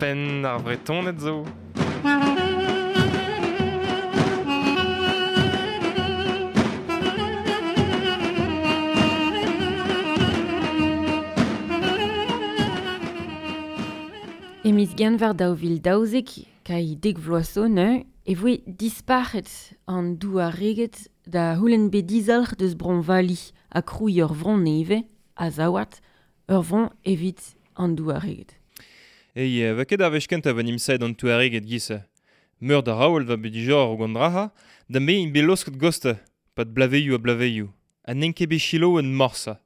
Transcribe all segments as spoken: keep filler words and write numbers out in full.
Penn ar Vretoned zo. E miz genver daou vil daouzek, kai dek vloaz zo neuze, e voe disparc'het an douareged da c'houlenn bet dizalc'h deus Bro-Vali ha krouiñ ur vro nevez, Azawad, ur vro evit an douareged. Ei, va ket ar wech kentañ va nimsaet an touareged giz-se. Meur da raoul va bet dijor o gant draha, da me int bet losket goste, pad blaveioù ha blaveioù, ha n'en ket bet chiloù en morsa.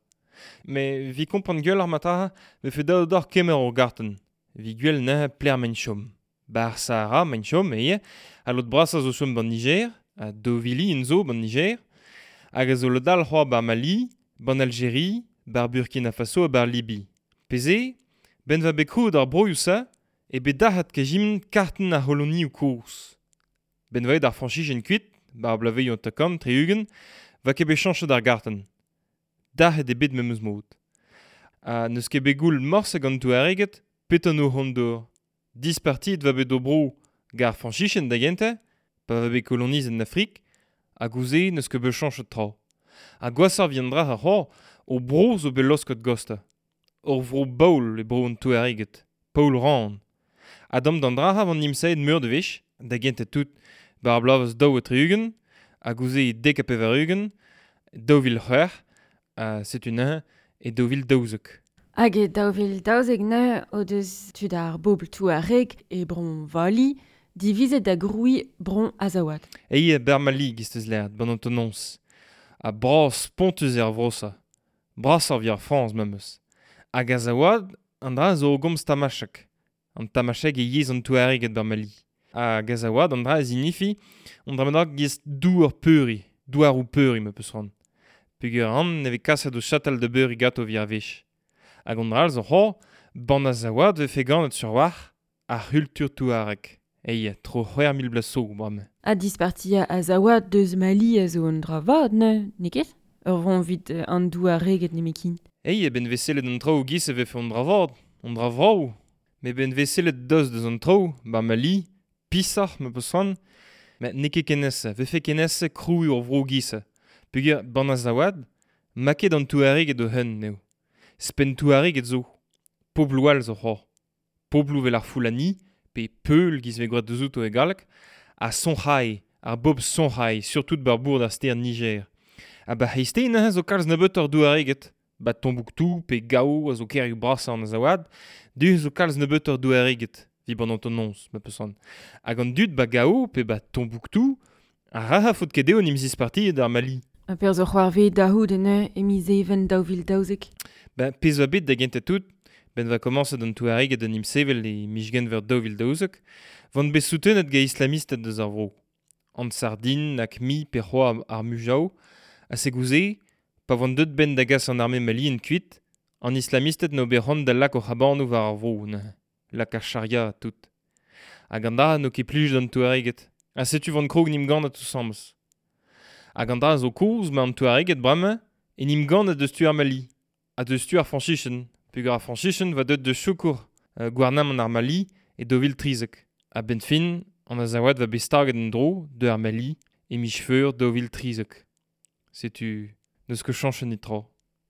Me vi kompren gwell ar mataha, me fe daou d'or kemer ur gartenn. Vi gwell neuze pler men chom. Bar Sahara men chom, eie, a lot brasa zo chom ban Niger, a Dovili en zo ban Niger, hag a zo lod all c'hoa bar Mali, ban Algérie, bar Burkina Faso ha bar Libi. Peze, ben va bet krouet ar broioù-se, e bet dac'hat kejimn kartenn ar c'holonioù kozh. Ben va eo d'ar Frañsijen kuit, bar blaveioù an takant, tri-ugent, va ket bet chañchet ar gartenn. Dac'het eo bet memes mod. Ha n'eus ket bet goul morse gant Touareged, petan o c'hont d'or. Dispartiet va bet o bro gar Frañsijen da gentañ, pa va bet kolonizet en Afrik, hag ouzh n'eus ket bet chañchet tra. Ha gwashoc'h vient dra ar c'hor, o bro zo bet losket gosta. Ur vro baoul e bro an Touareged, Paul Ran. Ha dam d'an dra van nimsaet meur de wech, da gentañ tout, bar bloavezh daou ha tri-ugent, hag ouzh dek ha pevar-ugent, daou vil c'hwec'h, ha setu neuze e daou vil daouzek. Hag e daou vil daouzek neuze o deus tud ar bobl Touareg e Bro-Vali divizet da grouiñ Bro Azawad. Ei bar Mali giz teus lâret, ban an tonons. Ha bras spontus eo ar vro-se. Brasoc'h evit ar Frañs memes. Hag Azawad, an dra zo o gomz tamachek. An tamachek e yezh an Touareged bar Mali. Hag Azawad, an dra a zinifi, an dra bennak giz douar peuriñ, douaroù peuriñ ma peus c'hoant. Peogwir an ne vez kaset o chatal da beuriñ ganto evit ar wech. Hag an dra all zo c'hoazh, ban Azawad vefe ganet sur war ar c'hultur touareg. Ei, tro c'hwec'h mil bloaz zo, bremañ. Ha dispartiañ Azawad deus Mali a zo un dra vat, neuze, n'eo ket? Ur vro evit an douareged nemetken. Ei, e ben vez sellet an traoù giz e vefe an dra vat, an dra vrav. Met ben vez sellet deus deus an traoù, bar Mali, pisoc'h ma peus c'hoant. Met n'eo ket ken aes, vefe ken aes krouiñ ur vro giz-se. Peogwir ban Azawad, ma ket an touareged o hun eo. Spenn touareged zo. Pobloù all zo c'hoazh. Pobloù vel ar Fulani, pe Peul giz vez gwraet deus outo e galleg, ha Songhai, ar bobl Songhai, surtout bar bourd ar stêr Niger. Ha ba c'hreisteiz neuze zo kalz nebeutoc'h douareged. Ba Tombouctou pe Gao a zo kêrioù brasañ an Azawad, du zo kalz nebeutoc'h douareged, evit ban antonons, ma peus c'hoant. Hag an dud ba Gao pe ba Tombouctou, a ra faot ket dezho n'em zispartiet d'ar Mali. Ha perzh zo c'hoarvezet da c'houde neuze e miz Even daou vil daouzek. Ben, pezh oa bet da gentañ tout, ben va komañset an Touareged en em sevel e miz Genver daou vil daouzek, vont bet soutenet gant islamisted deus ar vro. An Sardin, A Q M I pe c'hoazh ar Mujao, ha se gouze, pa vont deut ben da gas an arme malien kuit, an islamisted n'o bet c'hoant da lak o c'habanoù war ar vro, neuze. Lak ar charia tout. Hag an dra n'o ket plij d'an Touareged. Ha setu vont krog n'im gannet ensemble. Hag an dra zo kozh ma an Touareged bremañ, en im gannet deus tu ar Mali. Ha deus tu ar Frañsijen. Peogwir ar Frañsijen va deut deus sikour euh, gouarnamant ar Mali e daou vil trizek. Ha benn fin, an Azawad va bet staget en-dro de ar Mali e miz Feur daou vil trizek. Setu n'eus ket chañchet netra.